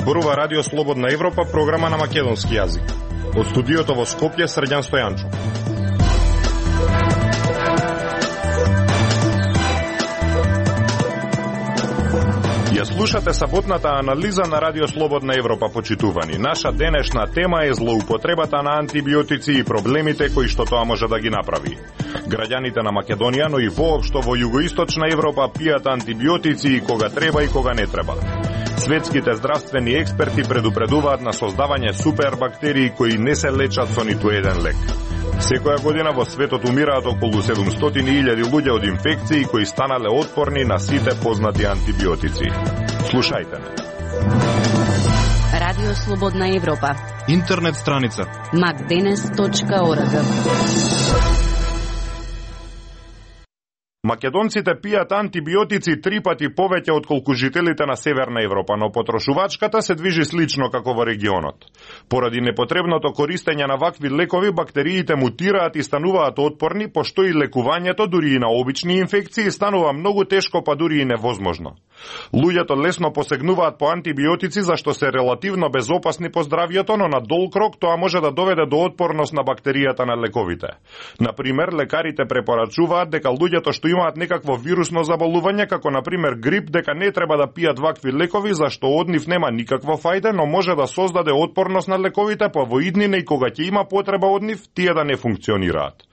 зборува Радио Слободна Европа, програма на македонски јазик. Од студиото во Скопје, Срđan Стојанчов. Ја слушате саботната анализа на Радио Слободна Европа, почитувани. Наша денешна тема е злоупотребата на антибиотици и проблемите кои што тоа може да ги направи. Граѓаните на Македонија, но и воопшто во југоисточна Европа пијат антибиотици и кога треба и кога не треба. Светските здравствени експерти предупредуваат на создавање супербактерии кои не се лечат со ниту еден лек. Секоја година во светот умираат околу 700.000 луѓе од инфекции кои станале отпорни на сите познати антибиотици. Слушајте ме. Радио Слободна Европа. Интернет страница macdenes.org. Македонците пијат антибиотици 3 пати повеќе отколку жителите на Северна Европа, но потрошувачката се движи слично како во регионот. Поради непотребното користење на вакви лекови, бактериите мутираат и стануваат отпорни, пошто и лекувањето дури и на обични инфекции станува многу тешко, па дури и невозможно. Луѓето лесно посегнуваат по антибиотици зашто се релативно безопасни по здравјето, но на долг рок тоа може да доведе до отпорност на бактеријата на лековите. Например, лекарите препорачуваат дека луѓето што имаат некакво вирусно заболување, како например грип, дека не треба да пијат вакви лекови, зашто од нив нема никакво фајде, но може да создаде отпорност на лековите, па во иднина и кога ќе има потреба од нив, тие да не функционираат.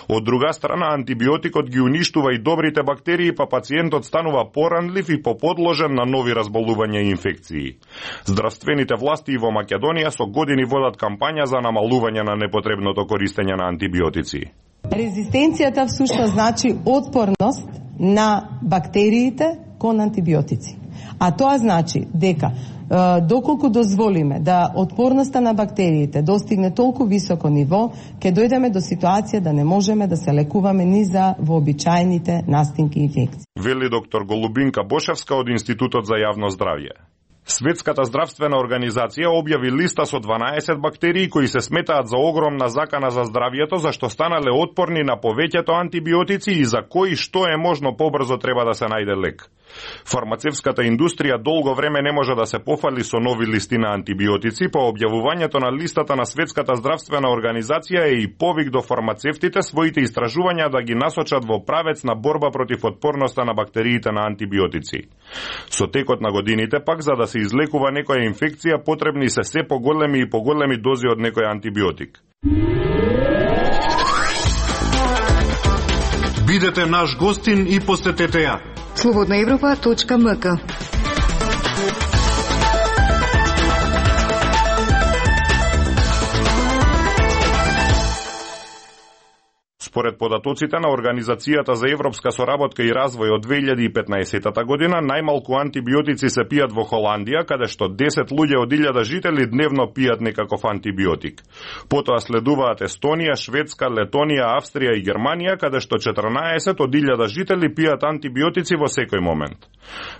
Од друга страна, антибиотикот ги уништува и добрите бактерии, па пациентот станува поранлив и поподложен на нови разболувања и инфекции. Здравствените власти во Македонија со години водат кампања за намалување на непотребното користење на антибиотици. Резистенцијата всушност значи отпорност на бактериите кон антибиотици. А тоа значи дека доколку дозволиме да отпорноста на бактериите достигне толку високо ниво, ќе дојдеме до ситуација да не можеме да се лекуваме ни за вообичаените настинки и инфекции. Вели доктор Голубинка Бошевска од Институтот за јавно здравје. Светската здравствена организација објави листа со 12 бактерии кои се сметаат за огромна закана за здравјето, зашто станале отпорни на повеќето антибиотици и за кои што е можно побрзо треба да се најде лек. Фармацевската индустрија долго време не може да се пофали со нови листи на антибиотици, по објавувањето на листата на Светската здравствена организација е и повик до фармацевтите своите истражувања да ги насочат во правец на борба против отпорноста на бактериите на антибиотици. Со текот на годините пак, за да се излекува некоја инфекција, потребни се поголеми и поголеми дози од некој антибиотик. Бидете наш гостин и посетете ја slobodnaevropa.mk. Според податоците на Организацијата за европска соработка и развој од 2015 година, најмалку антибиотици се пијат во Холандија, каде што 10 луѓе од 1000 жители дневно пијат некаков антибиотик. Потоа следуваат Естонија, Шведска, Летонија, Австрија и Германија, каде што 14 од 1000 жители пијат антибиотици во секој момент.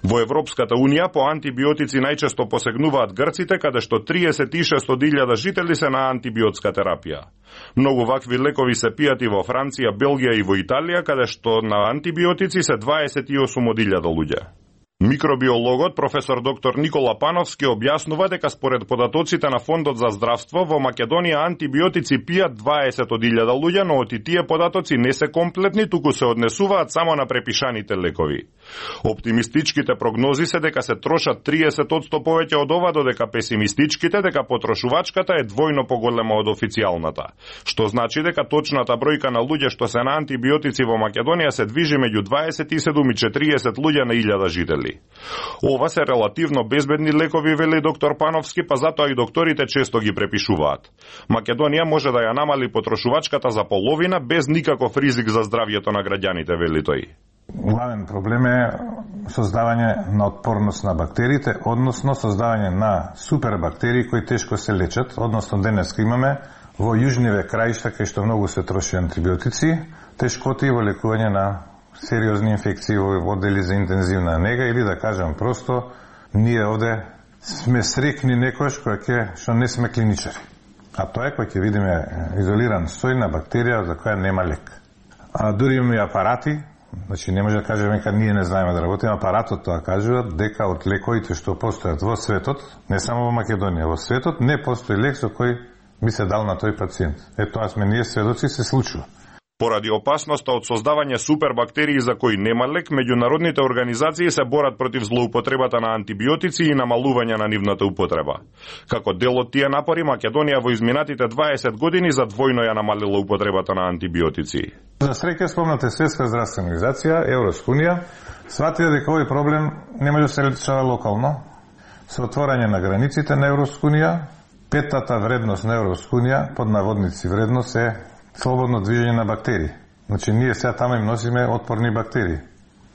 Во Европската Унија по антибиотици најчесто посегнуваат грците, каде што 36 од 1000 жители се на антибиотска терапија. Многу вакви лекови се пијат и во Франција, Белгија и во Италија, каде што на антибиотици се 28 од 1000 луѓе. Микробиологот професор доктор Никола Пановски објаснува дека според податоците на Фондот за здравство во Македонија антибиотици пијат 20 од 1000 луѓе, но оти тие податоци не се комплетни, туку се однесуваат само на препишаните лекови. Оптимистичките прогнози се дека се трошат 30% повеќе од ова, додека песимистичките дека потрошувачката е двојно поголема од официјалната, што значи дека точната бројка на луѓе што се на антибиотици во Македонија се движи меѓу 27 и 40 луѓе на 1000 жители. Ова се релативно безбедни лекови, вели доктор Пановски, па затоа и докторите често ги препишуваат. Македонија може да ја намали потрошувачката за половина без никаков ризик за здравјето на граѓаните, вели тој. Главен проблем е создавање на отпорност на бактериите, односно создавање на супербактерии кои тешко се лечат, односно денеска имаме во јужниве краишта кај што многу се троши антибиотици, тешкоти во лекување на сериозни инфекции во оддели за интензивна нега, или да кажам просто, ние овде сме срекни некојаш што не сме клиничари. А тоа е кој ќе видиме изолиран сој на бактерија за која нема лек. А дури имаме апарати Значи не може да кажеме дека ние не знаеме да работиме, апаратот тоа кажува дека од лековите што постојат во светот, не само во Македонија, во светот не постои лек со кој би се дал на тој пациент. Тоа сме ние сведоци, се случува. Поради опасноста од создавање супербактерии за кои нема лек, меѓународните организации се борат против злоупотребата на антибиотици и намалување на нивната употреба. Како дел од тие напори, Македонија во изминатите 20 години за двојно ја намалила употребата на антибиотици. За среќа спомната Светска здравствена организација, Евроскунија, сватија дека овој проблем не може да се решава локално. Со отворање на границите на Евроскунија, петата вредност на Евроскунија, под наводници вредност е слободно движење на бактерии. Значи, ние сега таму им носиме отпорни бактерии.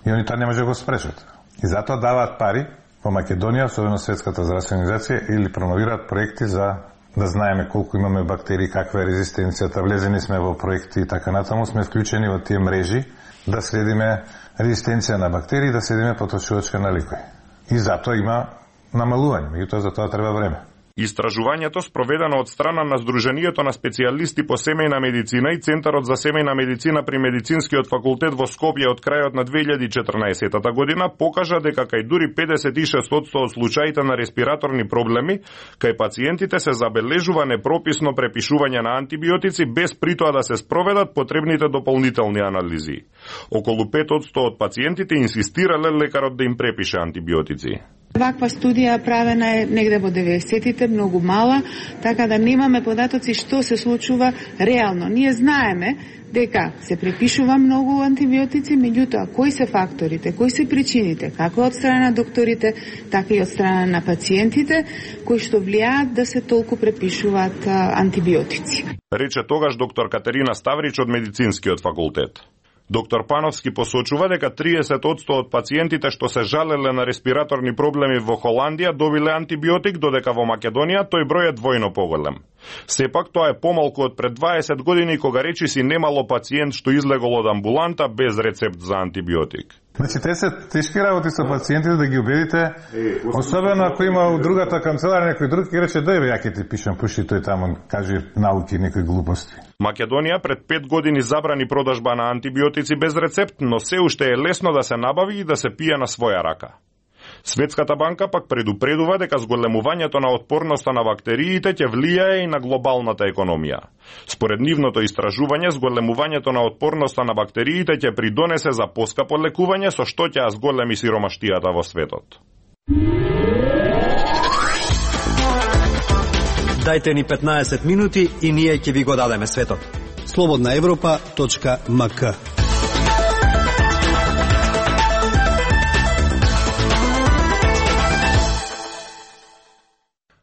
И они тоа не може да го спрешат. И затоа даваат пари во Македонија, особено Светската здравствена организација, или промовираат проекти за да знаеме колку имаме бактерии, каква е резистенцијата. Влезени сме во проекти и така натаму, сме вклучени во тие мрежи да следиме резистенција на бактерии, да следиме потрошувачка на лекови. И затоа има намалување, меѓутоа за тоа треба време. Истражувањето спроведено од страна на Сдруженијето на специјалисти по семејна медицина и Центарот за семејна медицина при Медицинскиот факултет во Скопје од крајот на 2014 година покажа дека кај дури 56% од случаите на респираторни проблеми, кај пациентите се забележува непрописно препишување на антибиотици без притоа да се спроведат потребните дополнителни анализи. Околу 5% од пациентите инсистирале лекарот да им препише антибиотици. Ваква студија правена е негде во 90-тите, многу мала, така да немаме податоци што се случува реално. Ние знаеме дека се препишува многу антибиотици, меѓутоа кои се факторите, кои се причините, како од страна на докторите, така и од страна на пациентите, кои што влијаат да се толку препишуваат антибиотици. Рече тогаш доктор Катерина Ставрич од Медицинскиот факултет. Доктор Пановски посочува дека 30% од пациентите што се жалеле на респираторни проблеми во Холандија добиле антибиотик, додека во Македонија тој број е двојно поголем. Сепак тоа е помалку од пред 20 години кога речиси немало пациент што излегол од амбуланта без рецепт за антибиотик. Значи, те се тешки работи со пациентите да ги убедите, особено ако има у другата канцеларија некој друг и рече дојде ја ќе ти пишам, пушти тој таму, кажи науки, некои глупости. Македонија пред 5 години забрани продажба на антибиотици без рецепт, но се уште е лесно да се набави и да се пие на своја рака. Светската банка пак предупредува дека зголемувањето на отпорноста на бактериите ќе влијае и на глобалната економија. Според нивното истражување, зголемувањето на отпорноста на бактериите ќе придонесе за поскапо лекување, со што ќе зголеми сиромаштијата во светот. Дајте ни 15 минути и ние ќе ви го дадеме светот. slobodnaevropa.mk.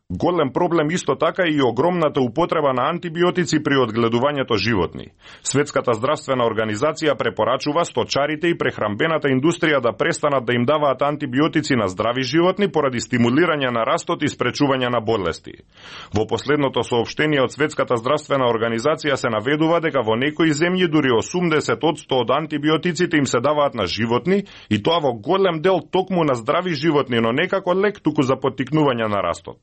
Голем проблем исто така и огромната употреба на антибиотици при одгледувањето животни. Светската здравствена организација препорачува сточарите и прехрамбената индустрија да престанат да им даваат антибиотици на здрави животни поради стимулирање на растот и спречување на болести. Во последното соопштение од Светската здравствена организација се наведува дека во некои земји дури 80% од антибиотиците им се даваат на животни и тоа во голем дел токму на здрави животни, но не како лек, туку за поттикнување на растот.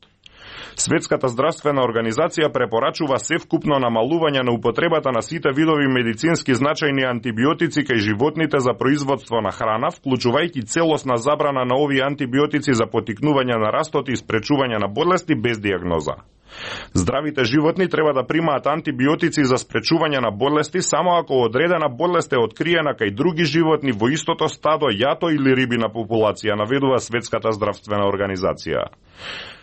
Светската здравствена организација препорачува севкупно намалување на употребата на сите видови медицински значајни антибиотици кај животните за производство на храна, вклучувајќи целосна забрана на овие антибиотици за поттикнување на растот и спречување на болести без диагноза. Здравите животни треба да примаат антибиотици за спречување на болести само ако одредена болест е откриена кај други животни во истото стадо, јато или рибина популација, наведува Светската здравствена организација.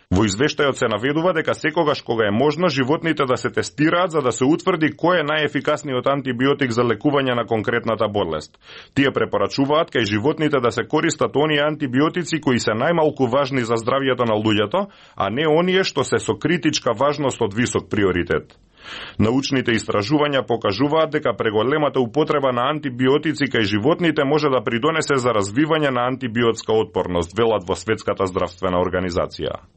Во извештајот се наведува дека секогаш кога е можно животните да се тестираат за да се утврди кој е најефикасниот антибиотик за лекување на конкретната болест. Тие препорачуваат кај животните да се користат оние антибиотици кои се најмалку важни за здравјето на луѓето, а не оние што се со критичка важност од висок приоритет. Научните истражувања покажуваат дека преголемата употреба на антибиотици кај животните може да придонесе за развивање на антибиотска отпорност, велат во Светската здравствена организација.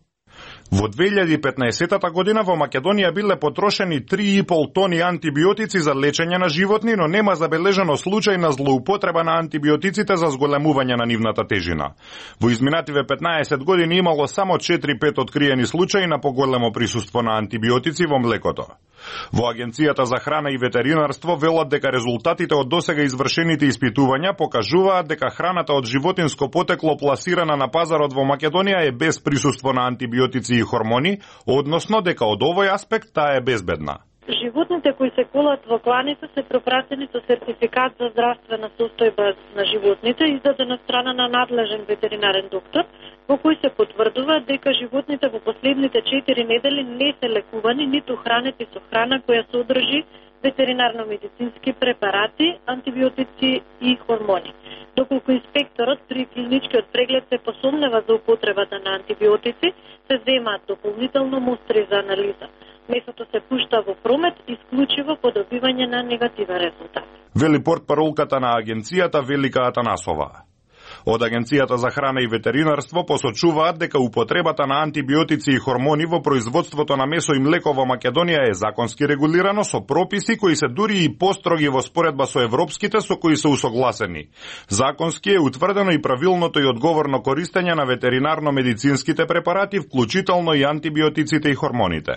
Во 2015 година во Македонија биле потрошени 3,5 тони антибиотици за лечење на животни, но нема забележано случај на злоупотреба на антибиотиците за зголемување на нивната тежина. Во изминативе 15 години имало само 4-5 откриени случаи на поголемо присуство на антибиотици во млекото. Во Агенцијата за храна и ветеринарство велат дека резултатите од досега извршените испитувања покажуваат дека храната од животинско потекло пласирана на пазарот во Македонија е без присуство на антибиотици и хормони, односно дека од овој аспект таа е безбедна. Животните кои се колат во кланици се пропратени со сертификат за здравствена состојба на животните, издаден од страна на надлежен ветеринарен доктор, во кој се потврдува дека животните во последните 4 недели не се лекувани, ниту хранети со храна која содржи ветеринарно-медицински препарати, антибиотици и хормони. Доколку инспекторот при клиничкиот преглед се посомнева за употребата на антибиотици, се земаат дополнително мустри за анализа. Месото се пушта во промет исклучиво по добивање на негативен резултат. Вели портпаролката на агенцијата Велика Атанасова. Од Агенцијата за храна и ветеринарство посочуваат дека употребата на антибиотици и хормони во производството на месо и млеко во Македонија е законски регулирано со прописи кои се дури и построги во споредба со европските со кои се усогласени. Законски е утврдено и правилното и одговорно користење на ветеринарно-медицинските препарати, вклучително и антибиотиците и хормоните.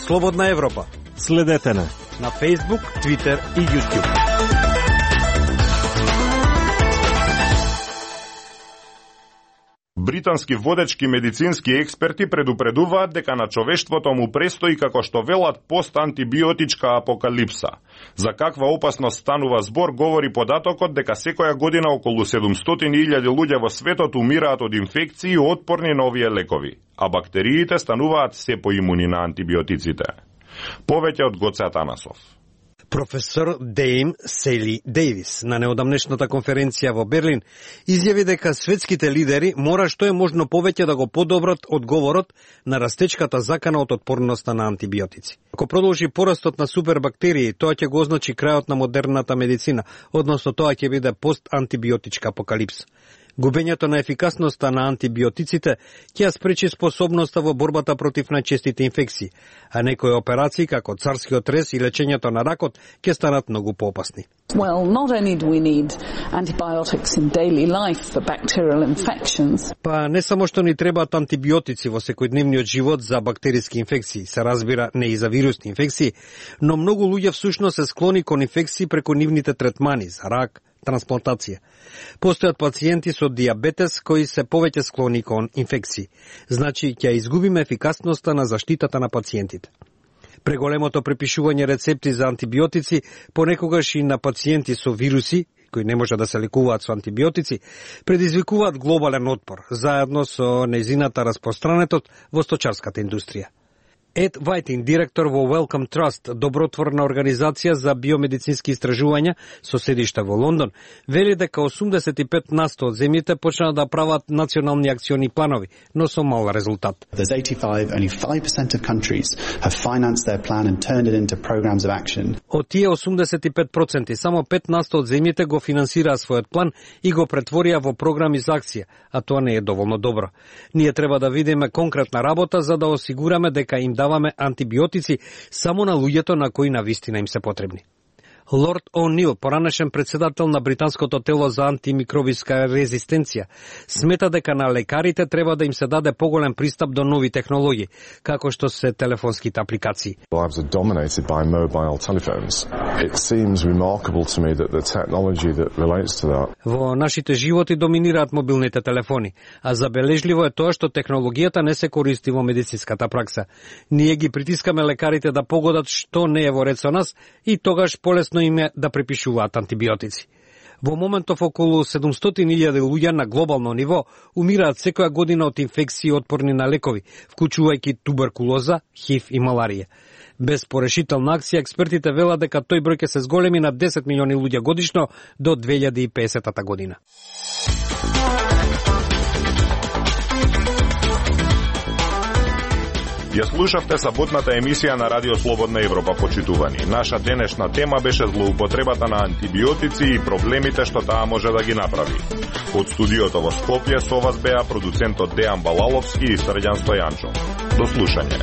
Слободна Европа. Следете на Facebook, Twitter и YouTube. Британски водечки медицински експерти предупредуваат дека на човештвото му престои, како што велат, постантибиотичка апокалипса. За каква опасност станува збор говори податокот дека секоја година околу 700.000 луѓе во светот умираат од инфекции отпорни на овие лекови, а бактериите стануваат се поимуни на антибиотиците. Повеќе од Гоце Атанасов. Професор Дейм Сели Дейвис на неодамнешната конференција во Берлин изјави дека светските лидери мора што е можно повеќе да го подобрат одговорот на растечката закана од отпорноста на антибиотици. Ако продолжи порастот на супербактерии, тоа ќе го означи крајот на модерната медицина, односно тоа ќе биде постантибиотичка апокалипса. Губењето на ефикасноста на антибиотиците ќе ја спречи способноста во борбата против најчестите инфекции, а некои операции како царскиот рез и лечењето на ракот ќе станат многу поопасни. Well, not only do we need antibiotics in daily life for bacterial infections. Па не само што ни требаат антибиотици во секојдневниот живот за бактериски инфекции, се разбира не и за вирусни инфекции, но многу луѓе всушност се склони кон инфекции преку нивните третмани за рак, трансплантација. Постојат пациенти со диабетес кои се повеќе склони кон инфекции. Значи, ќе изгубиме ефикасноста на заштитата на пациентите. Преголемото препишување рецепти за антибиотици, понекогаш и на пациенти со вируси, кои не може да се лекуваат со антибиотици, предизвикуваат глобален отпор, заедно со нејзината распространетост во сточарската индустрија. Ед Вајтин, директор во Wellcome Trust, добротворна организација за биомедицински истражувања со седиште во Лондон, вели дека 85% од земјите почнаа да прават национални акциони планови, но со мал резултат. There's 85, only 5% of countries have financed their plan and turned it into programs of action. Од тие 85%, само 5% од земјите го финансираа својот план и го претворија во програми за акција, а тоа не е доволно добро. Ние треба да видиме конкретна работа за да осигураме дека им даваме антибиотици само на луѓето на кои навистина им се потребни. Лорд О'Нил, поранешен председател на британското тело за антимикробиска резистенција, смета дека на лекарите треба да им се даде поголем пристап до нови технологии, како што се телефонските апликации. Lives are dominated by mobile telephones. It seems remarkable to me that the technology that relates to that. Во нашите животи доминираат мобилните телефони, а забележливо е тоа што технологијата не се користи во медицинската пракса. Ние ги притискаме лекарите да погодат што не е во ред со нас и тогаш полесно им е да препишуваат антибиотици. Во моментов околу 700.000 луѓе на глобално ниво умираат секоја година од инфекции отпорни на лекови, вклучувајќи туберкулоза, ХИВ и маларија. Без порешителна акција, експертите велат дека тој број ќе се зголеми на 10 милиони луѓе годишно до 2050 година. Ја слушавте саботната емисија на Радио Слободна Европа, почитувани. Наша денешна тема беше злоупотребата на антибиотици и проблемите што таа може да ги направи. Од студиото во Скопје со вас беа продуцентот Дејан Балаловски и Срđan Стојанчов. До слушање.